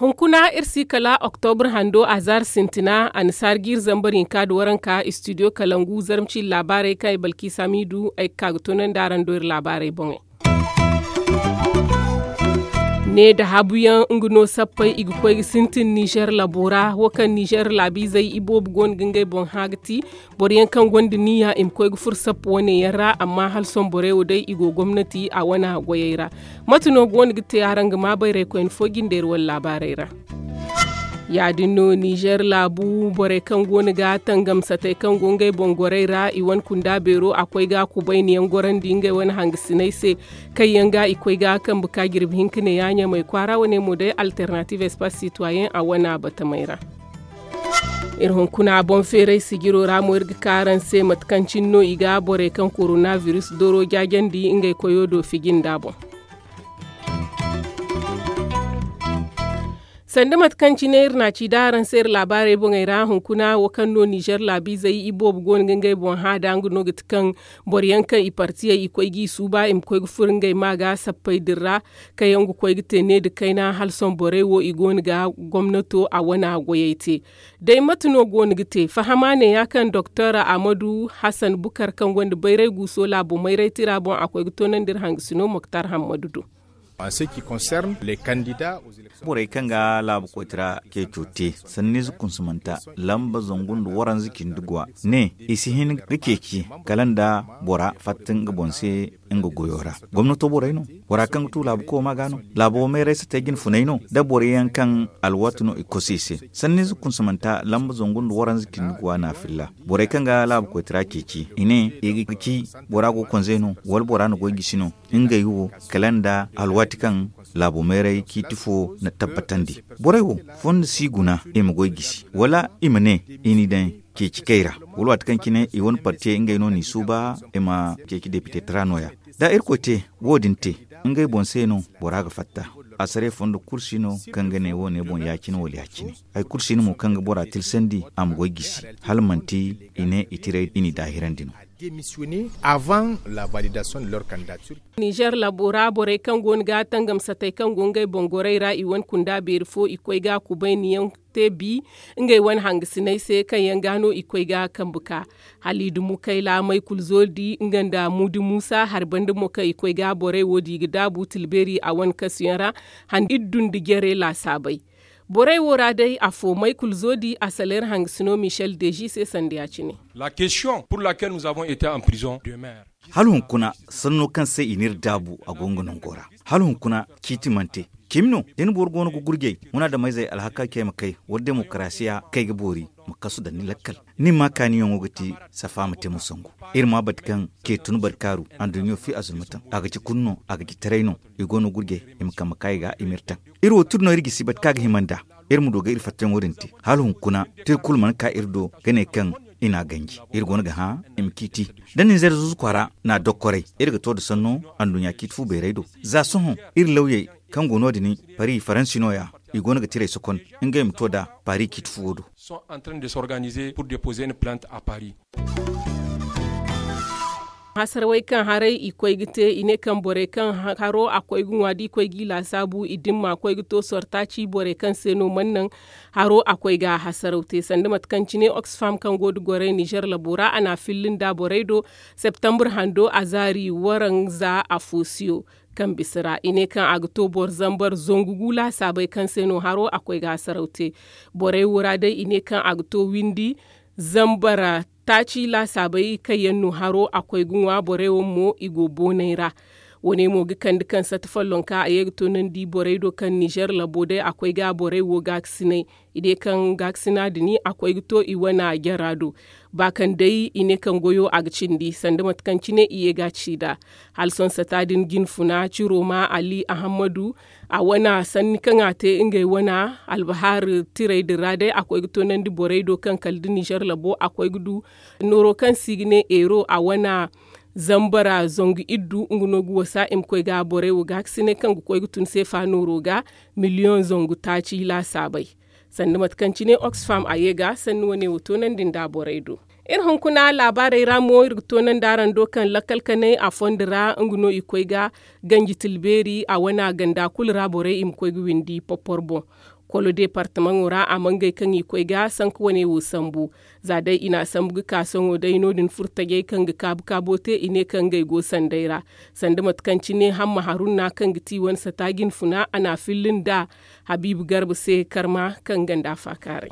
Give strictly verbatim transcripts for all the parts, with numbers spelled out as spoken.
Hunkuna iri si kala oktobra hando a zaari sintina a na saari jiiri zambar hinka nda waranka istidiyo kalangu zarma ciiri laabaarey kaŋ ay balkiisa miidu ay ga ka ga toonandi araŋ do iri laabaarey boŋey. Ne nda habuyaŋ nga no sappey i ga koy ga sintin nizer labo ra wo kaŋ nizer laabiizey iboobo go no ga ngey boŋ hã ga ti boro yaŋ kaŋ gonda niya i ma koy ga furo sappa wane yaŋ ra amma hala sohõ borey wo day i go gomnati a wane goyey ra. Mate no go no ga te araŋ ga maa bayraykoyne fo jinde iri wane laabaarey ra. Ya- din no nizer laabu borey kaŋ go no ga tangamsatey kaŋ go ngey boŋ gorey ra i wane kunda beero a koy ga kubayniyaŋ gorandi ngey wane hangasiney se kaŋ yaŋ ga i koy ga kambe ka jirbi hinka ne ya ɲamey kwaara wane mo day alternative espace citoyen a wane batamey ra. Iri hunkuna boŋ feeray sijiro ra mo iri ga ka araŋ se mate kaŋ cine no i ga borey kaŋ korona biris doro jaajandi ngey koyo do fiji nda boŋ. Sanda mate kaŋ cine iri na a ci da araŋ se iri laabaarey boŋey ra hunkuna wo kaŋ no nizer laabiizey iboobo go no ga ngey boŋ hã da nga no ga ti kaŋ boro yaŋ kaŋ i partiyey i koy g'i suuba i ma koy ga furo ngey ma ga sappey din ra kaŋ yaŋ ga koy ga te ne nda kayna hala sohõ borey wo i go no ga gomnato a wane goyey te. Day mate no go no ga te fahama ne ya kaŋ doktor ahmadu hassan bukar kaŋ gonda bayray guuso laabo mayray tira boŋ a koy ga toonandi iri hangasino moktar hammadu do. Borey kaŋ ga laabu koytara ceeco te sanniize kunsamanta lamba zangu nda waranza cindi guwa ne i si hin ga ceeci kala nda bora fatta nga boŋ se nga goyo ra. Gomnato borey no bora kaŋ ga tu laabu kooma ga no laabo mayray si te jinfunay no da boro yaŋ kaŋ alwaati no i kosu i se. Sanniize kunsamanta lamba zangu nda waranza cindi guwa na filla borey kaŋ ga laabu koytara ceeci i ne i ga ci bora go konzey no wala bora na goy gisi no ngey wo kala nda alwaati kaŋ laabo mayray ciiti fo na tabbatandi. Borey wo fondo si guna i ma goy gisi wala i ma ne i n'i daŋ ceeci kay ra wala waati kaŋ cine i wane partiyey ngey no n'i suuba i ma ceeci depite tara nooya. Da irkoy te wo- din te ngey boŋ se no bora ga fatta. Asare fondo kulu si no kaŋ ga ne wo- ne boŋ ya- cine wala ya- cine. Hari kulu si no mo kaŋ ga bora tilsandi a ma goy gisi hala manti i ne i tiray i n'i daahirandi no. Nizer labo ra borey kaŋ go no ga tangamsatey kaŋ go ngey boŋ gorey ra i wane kunda beeri fo i koy ga kubayniyaŋ te bi ngey wane hangasiney se kaŋ yaŋ ga no i koy ga kambe ka. Haliidu mukayla maykul zodi nga nda muudi muusa hari banda mo kaŋ i koy ga borey wo di i ga daabu tilbeeri a wane kasuyaŋ ra handi iddu nda jare laasaabey. Borey wo ra day afo maykul zodi a saleer hangasino michel deji se sanda ya- cine. Hala hunkuna sanno kaŋ se i n'iri daabu a go nga nango ra. Hala hunkuna ciiti mana te. Cimi no da ni boro go no ga gurjay munaadameyzey alhaka ce ma kay wala demokarasiya kay ga boori ma kasu daŋ ni lakkal. Ni ma kaaniyaŋo ga ti safa ma te ma sangu. Iri ma bate kaŋ ce tun barkaaru anduɲɲo fi azulmataŋ a ga ci kulu no a ga ci taray no. I go no gurjay i ma kambe ka i ga i m'iri taŋ. Iri wo tira no iri gisi bate kaŋ a ga hima nd'a. Iri ma du ga iri fattayaŋo din te hala hunkuna tira kulu mana ka iri do ga ne kaŋ i n'a ganji. Iri go no ga hã i ma ciiti da ninzeer zuzu kwaara n'a dokkoray. Iri ga to nda sanno anduɲɲa ciiti fu beeray do. Za sohõ iri lawyey kaŋ go no- din pari faransi no- ya i go no ga tiray sokon ngey ma to nd'a pari ciiti fuwo do. Hasarawey kaŋ haray i koy ga te i ne kaŋ borey kaŋ haro a koy ga ŋwa da i koy g'i laasaabu i dimma koy ga to sortaaci borey kaŋ se no mana naŋ haro a koy ga hasaraw te sanda mate kaŋ cine oxfam kaŋ go nda gorey nizer labo ra a n'a filli nda borey do septambur hando a zaari waranza afo siyo. Kaŋ bisa ra i ne kaŋ a ga to boro zambar zangu gu laasaabey kaŋ se no haro a koy ga hasaraw te. Borey wo ra day i ne kaŋ a ga to windi zambar taaci laasaabey kaŋ yaŋ no haro a koy ga ŋwa borey wo mo i go boonay ra. Wo- ne mo ga kande kaŋ sata follonka a ye ga toonandi borey do kaŋ nizer labo day a koy ga borey wo gaakasinay. I ne kaŋ gaakasina din a koy ga to i wane jara do. Ba kaŋ day i ne kaŋ goyo a ga cindi sanda mate kaŋ cine i ye ga a ci nd'a. Hala sohõ sata din jinfuna ciro ma ali ahammadu a wane sanni kaŋ a te ngey wane albahar tirey din ra day a koy ga toonandi borey do kaŋ kala da nizer labo a koy ga du nooro kaŋ se i ga ne eero a wane zambara zangu iddu nga no ga wasa i ma koy ga borey wo gaakasinay kaŋ ga koy ga tun seefa nooro ga miliyoŋ zangu taaci laasaabey. Sanda mate kaŋ cine oxfam a ye ga sanni wane wo toonandi nda borey do. Iri hunkuna laabaarey ra mo iri ga toonandi araŋ do kaŋ lakkal kanay a fondo ra nga no i koy ga ganji tilbeeri a wana ganda kulu ra borey i ma koy ga windi porpor boŋ. Kolo deepartamaŋo ra a mangey kaŋ i koy ga sanka wane wo sambu. Za day i n'a sambu ga ka sohõ day no- din furtajey kaŋ ga kaabu kaabo te i ne kaŋ ngey go sanday ra. Sanda mate kaŋ cine hamma harunna kaŋ ga ti wane sata jinfuna a n'a filli nda habiibu garba se karma kaŋ ganda faakaaray.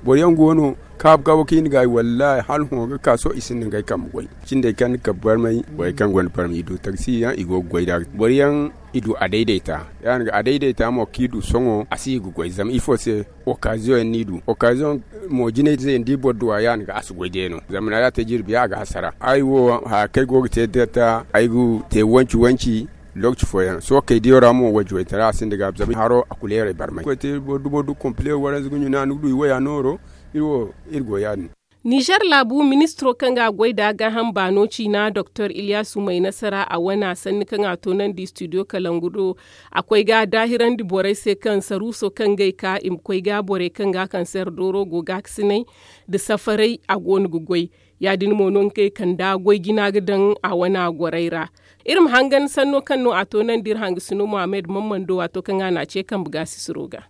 Boro yaŋ go no kaabu kaabu kaŋ i na gaayi wallaahi hala hõ ga ka sohõ i sinda ngey kambe goy. Cindey kaŋ ni kabe barmay borey kaŋ gonda barmay i du taksi yaŋ i go ga goy nd'a. Boro yaŋ i du a dayday ta ya- din ga a dayday ta mo kaŋ i du sohõ a si i ga goy zama ifo se? Okaaziyoŋ yaŋ no i du okaaziyoŋ mo jinay ze nda i boro du a ya- din ga a si goy day no zama naara te jirbi yaŋ a ga hasara. Ay wo haya kaŋ ay go ga te da ta ay ga te wanci wanci. Lookaci fooyaŋ sookey diyo ra mo wayje waytara a sinda gaabi zama haro a kuleerey barmay koy te boro dumo du kompile waranza ga ɲuna ni ga du i waya nooro. Iri wo iri go ya- din. Nizer laabu ministiro kaŋ ga a goy nd'a gaaham baano ciina doktor iliyaasu may nasara a wana sanni kaŋ a toonandi studio kalangu do. A koy ga a daahirandi borey se kaŋ saruuso kaŋ ga ay ka i ma koy ga borey kaŋ ga a kanseer dooro go gaakasinay nda safaray a go no ga goy. Ya- din mo no ngey kanda goy jina ga daŋ a wana gorey ra. Iri ma hangan sanno kaŋ no a toonandi iri hangasino mohammed mammando waato kaŋ a n'a ce kambe gaasisiro ga.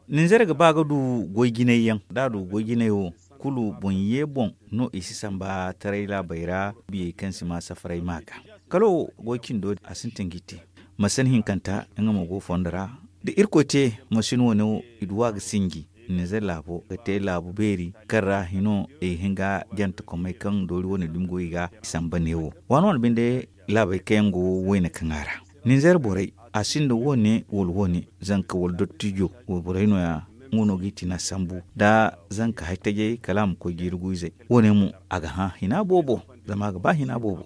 Ninzeer ga ba ga du goy jinay yaŋ da a du goy jinay wo kulu boŋ ye boŋ no i si samba taray laabey ra biyey kaŋ si ma safaray ma ga kala wo goy cindo a sintin ga i te. Masin hinkanta nga mo go fondo ra da irkoy te masin wane wo i du a ga sinji. Ninzeer laabo ga te laabu beeri kaŋ ra hino i hin ga jantakomey kaŋ doori wane dumi go i ga i samba neewo waani waani binde. Laabey kaŋ yaŋ go wayne kaŋ a ra ninzeer borey a sinda wane wala wane zanka wala dottijo wala borey no- ya nga no ga i tina sambu da zanka haytajey kala a ma koy jiiri guwizey. Wane mo a ga hã hina boobo zama a ga ba hina boobo.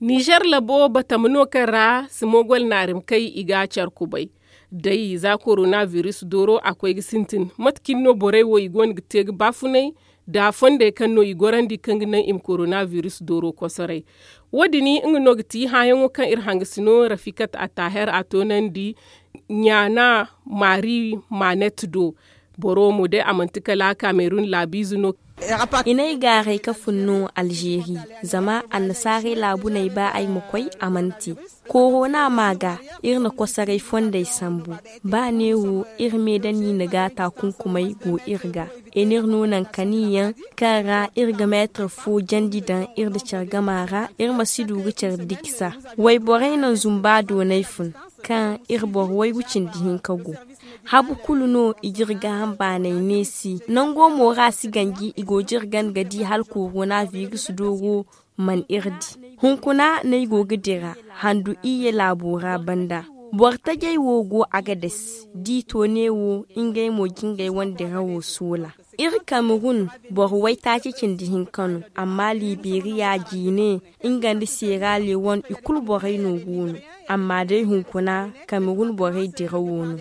Nizer labo batama no kaŋ ra simogol naarimkay i ga care kubay. Day za korona biris dooro a koy ga sintin mate cine no borey wo i go no ga te ga baafunay nda fondey kaŋ no i gorandi kaŋ ga naŋ i ma korona biris dooro kosoray. Wo- din nga no ga ti hããyaŋo kaŋ iri hangasino rafikat attaher a toonandi ɲaana maari maanet do. Boro mo day a manti kala kamerun laabiize no. I n'ay gaaray ka fun no alzeeri. Zama annasaarey laabu n'ay ba ay ma koy a mana te. Korona ma ga iri na kosoray fondey sambu. Ba neewo iri me da niina ga taakunkumey go iri ga. I n'iri no nankaniyaŋ kaŋ ra iri ga meetir fo jandi daŋ iri nda care gama ra iri ma si du ga care dikisa. Wayborey naŋ zumba doonay fun kaŋ iri boro waygu cindi hinka go. Habu kulu no i ga iri gaaham baanay neesi nango mo ra si ganji i go ga iri gana ga di hala korona biris dooro. Man iri di hunkuna no ay go ga dira handu iyye laabo ra banda. Boro tajey wo go agades da i to neewo ngey mo ga ngey wane dirawo soola. Iri kamerun boro waytaaci cindi hinka no. Amma liberiya jiine nga nda seera lewon i kulu borey no go no. Amma day hunkuna kamerun borey dirawo no.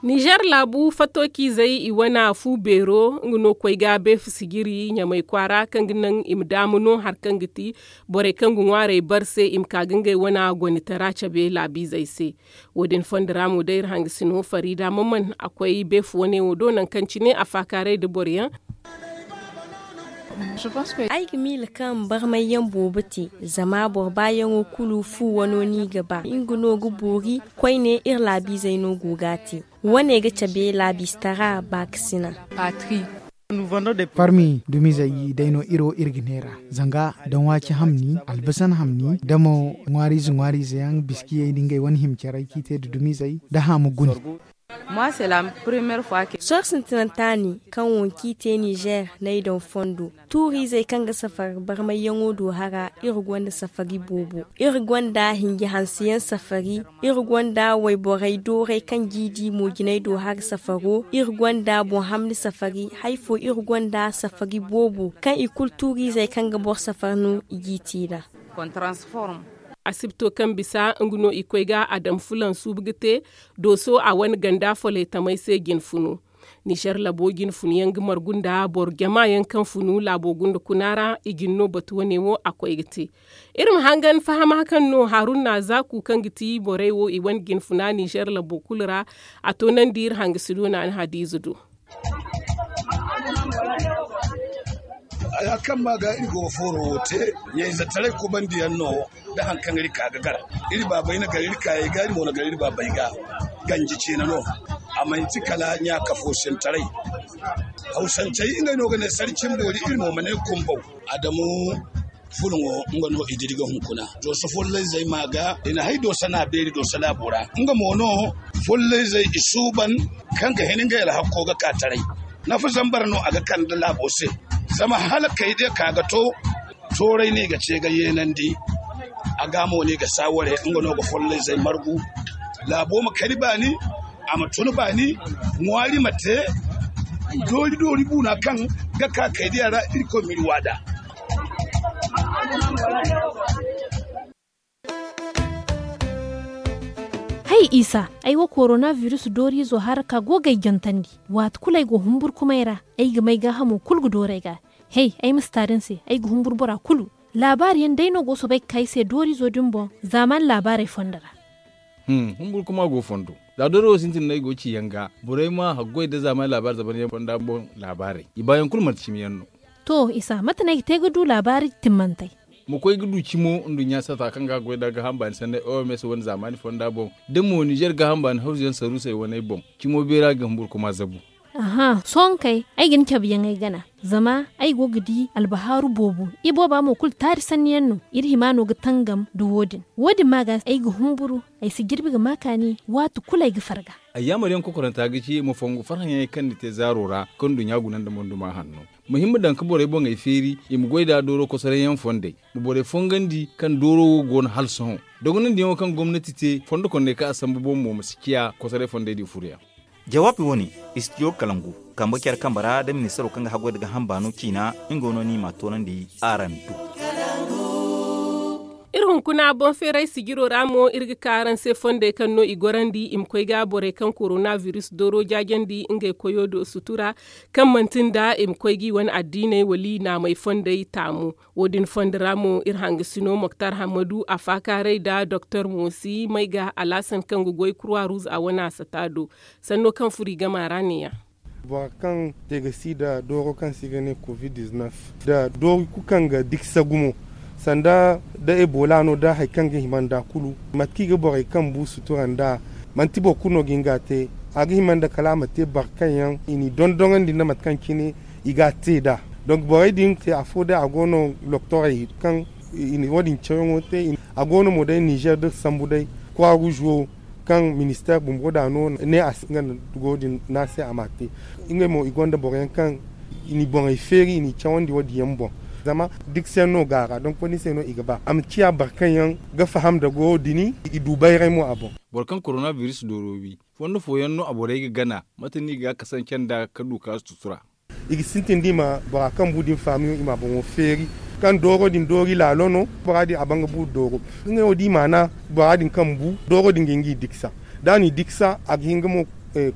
Nizer laabu fattoociizey i wane fu beero nga no koy ga beefu sijiri ɲamay kwaara kaŋ ga naŋ i ma daamu no hari kaŋ ga ti borey kaŋ ga ŋwaarey bar se i ma ka ga ngey wane gonitara cabe laabiizey se. Wo- din fondo ra mo day iri hangasino fariida maman a koy beefu wane wo do nangu kaŋ cine a faakaaray nda boro yaŋ. Ay ga miila kaŋ barmayyaŋ boobo te zama boro baayaŋo kulu fu wano no i ga ba nga no ga boori. Koyne iri laabiizey no go ga a te. Wane ga cabe laabiistara baakasina. Parmi dumizey day no iri wo iri ga neera zanga daŋ waaci hamni albasan hamni da mo ŋwaariize ŋwaariize yaŋ biskiyey nda ngey wane hima caray kaŋ i te nda dumizey da haamu gune. Sohõ sintinanta ne kaŋ wo kaŋ i te nizer n'ay daŋ fondo. Tuuriizey kaŋ ga safari barmayyaŋo do hara iri gonda safari boobo. Iri gonda hinji hanseyaŋ safari. Iri gonda wayborey dooray kaŋ jiidi mo jinay do hara safaro. Iri gonda boŋ hamni safari. Hari fo iri gonda safari boobo kaŋ i kulu tuuriizey kaŋ ga boro safari no i g'i te nd'a. Asibto kaŋ bisa nga no i koy ga a daŋ fulan suubu ga te dooso a wane ganda foley tamey se jinfunu. Nizer labo jine funu yaŋ ga margu nda boro jama yaŋ kaŋ funu laabo gunda kuna ra i jine no batu wane wo a koy ga te. Iri ma hangan fahama kaŋ no haruna zaku kaŋ ga ti borey wo i wane jine funa nizer labo kulu ra. A toonandi iri hangasi do naani hadiize do. Haya kaŋ ma ga iri go ga fooro wo te, ɲayzetaray kubandiyaŋ no. Da hari kaŋ iri ka ga gar, iri baabey na gar iri kaayey ga iri mo na gar iri baabey ga. Ganji ciine no. A manti kala ɲaakafo sintaray. Hawsancey ngey no ga ne sarcin boori iri mo ma ne kumbaw. Adamu fuluŋo nga no i diri ga hunkuna. Dooso follayzey ma ga i na hay dooso na beeri dooso laabo ra. Nga mo no follayzey i suuban kaŋ ga hin ngey alhakko ga ka taray. Nafa zambar no a ga kande laabo se. Zama hala kaydiya ka ga to tooray no i ga ce ga yeenandi. A ga mo no i ga saaware nga no ga follayzey margu. Laabo ma kari baani, a ma tun baani. Ŋwaari ma te doori doori buuna kaŋ ga ka kaydiya ra. Irkoy ma iri waada. Hay isa, ay wo korona virus dooriizo haraka go ga ay jantandi. Waati kulu ay go humburkumay ra, ay ga may gaahamo kulu ga dooru ay ga. Hey, ay ma si taari ni se, ay ga humburu bora kulu. Laabaari yaŋ day no go soobay ga ka ay se dooriizo din boŋ. Zaamaani laabaarey fondo ra. Humburkuma go fondo. Za dooro wo sintin no ay go ga ci yaŋ ga, borey ma haggoy nda zaamaani laabaari zaban yaŋ fonda boŋ laabaarey i baayaŋ kulu manti cimi yaŋ no. To isa mate no ay ga te ga du laabaari timmantey? Ma koy ga du cimo nduɲɲa sata kaŋ ga goy nda gaaham baani sanney oms wane zaamaani fonda boŋ, da mo nizer gaaham baani hawzu yaŋ saruusey waney boŋ. Cimo beera ga humburkuma zabu. Aha sohõ kay, ay ga ni cabe yaŋ ay gana. Zama ay go ga di albahaaru boobo. Ibooba mo kulu taari sanni yaŋ no. Iri hima no ga tangam nda wo- din. Wo- din ma ga ay ga humburu. Ay si jirbi ga ma kaani. Waati kulu ay ga farga. Ayyaamar yaŋ kokoranta ga ci ma fongu farhã yaŋey kaŋ ni te zaaro ra kaŋ nduɲɲa guna nda monduma hanno. Ma hin ma daŋ ga borey boŋey feeri i ma goy nd'a dooro kosoray yaŋ fondey. Ma borey fongandi kaŋ dooro wo go no hala sohõ. Dogonandiyaŋo kaŋ gomnati te fondo konney kaŋ a sambu boŋ mo ma si ciya kosoray fondey din furo yaŋ. Jawaabi wo- ne, istidiyo kalangu, kambe care kambe ra nda ministaro kaŋ ga haggoy nda gaaham baano ciina. Nga no ni m'a toonandi araŋ do. Iri hunkuna boŋ feeray sijiro ra mo iri ga ka araŋ se fondey kaŋ no i gorandi i ma koy ga borey kaŋ korona virus dooro jaajandi ngey koyo do sutura, kaŋ manti nda i ma koy ga i wane addiiney wala i naamey fondey taamu. Wo- din fondo ra mo iri hangasino moktar hammadu a faakaaray nda doktor moosi may ga alaasan kaŋ ga goy kurwa ruuz a wane a sata do. Sanno kaŋ furo i gama ra ne- ya. Bora kaŋ te ga si nda dooro kaŋ se i ga ne covid-19, nda doori kulu kaŋ ga diksa gumo, sanda da ebola no da hari kaŋ ga hima nda kulu. Mate kaŋ i ga borey kaŋ bu sutura nda, manti boro kulu no ga hin ga a te. A ga hima nda kala a ma te boro kaŋ yaŋ i n'i dondonandi nda mate kaŋ cine i ga a te nd'a. Donk borey din te afo day a go no loktorey kaŋ i na wo- din cawyaŋo te. A go no mo day nizer da iri sambu day, kura ruuz wo kaŋ minister bumbo da no ne a si nga nda go- din no a se a m'a te. Ngey mo i gonda boro yaŋ kaŋ i n'i boŋey feeri i n'i cawandi wo- din yaŋ boŋ. Zama diksa yaŋ no go a ra donk wo- din se no i ga ba a ma ciya boro kaŋ yaŋ ga faham nda go- din i du bayray mo a boŋ. Boro kaŋ korona virus dooro wi, fondo fooyaŋ no a borey ga gana? Mate no i ga kasance nda ka du ka sutura? I ga sintin da i ma bora kaŋ bu din faamiyo i ma a boŋo feeri. Kaŋ dooro din doori laalo no bora din a ban ga bu dooro. Ngey wo da i maana bora din kaŋ bu dooro din ga hin ga i diksa. Da a n'i diksa a ga hin ga mo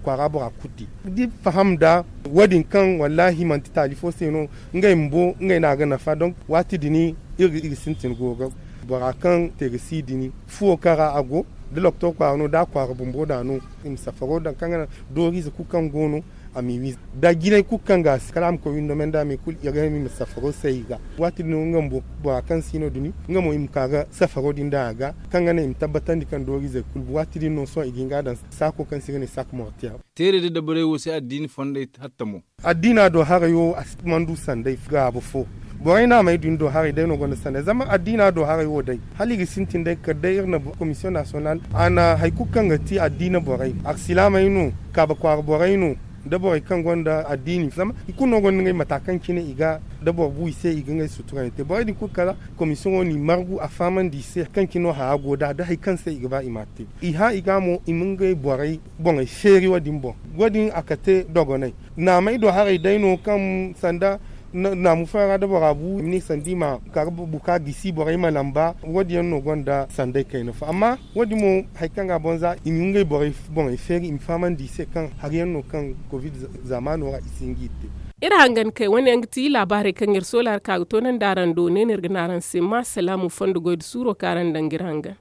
kwaara bora kutti da i faham nda wo- din kaŋ wallaahi manti taali fo se no. Ngey bumbo ngey no a ga nafa donk waati din iri ga sintin go ga bora kaŋ te ga si din fuwo kaŋ ra a go. Da loktor kwaara no da a kwaara bumbo da no i ma safaro daŋ kaŋ ga naŋ dooriize kulu kaŋ go no a m'i wiiza da jinay kulu kaŋ ga a si kala a ma koy windo me nda a me kulu i ga ne i ma safaro say i ga. Waati din no nga bumbo bora kaŋ si no dumi nga mo i ma ka ga safaro din daŋ a ga kaŋ ga naŋ i ma tabbatandi kaŋ dooriizey kulu bu waati din no sohõ i ga hin ga a daŋ saako kaŋ se i ga ne saako mortiya. Teerey da dabarey wo se addiini fondey hatta mo. Addiina do haray wo a si mandu sanday gaabo fo. Borey no a may din do haray day no gonda sanday zama addiina do haray wo day hala i ga sintin day kala day iri na komisiyoŋ nasiyonal a na hari kulu kaŋ ga ti addiina borey arsilaamey no kaaba kwaara borey no da borey kaŋ gonda addiini zama i kulu no gonda ngey mata kaŋ cine i ga da boro bu i se i ga ngey sutura yaŋ te borey din kulu kala komisiyoŋo n'i margu a fahamandi i se hari kaŋ cine no hara go nd'a da hari kaŋ se i ga ba i m'a te. I hã i ga mo i ma ngey borey boŋey feeri wo- din boŋ wo- din a kate dogonay. Naamey do haray day no kaŋ sanda Naamu fooyaŋ ra da bora bu i ma ne sanda i ma ka ga buka gisi borey ma lamba. Wo- din yaŋ no gonda sanday kayna fo amma wo- din mo hari kaŋ ga boŋ za i ma ngey borey boŋey feeri i ma fahamandi i se kaŋ hari yaŋ no kaŋ covid zaamaano ra i si hin ga i te. Iri hangan kay wane yaŋ ga ti laabaarey kaŋ iri soola hari ka ga toonandi araŋ do ne no iri ga ne araŋ se ma salaamu fondo goy nda suuro kaŋ araŋ daŋ ga iri hangan.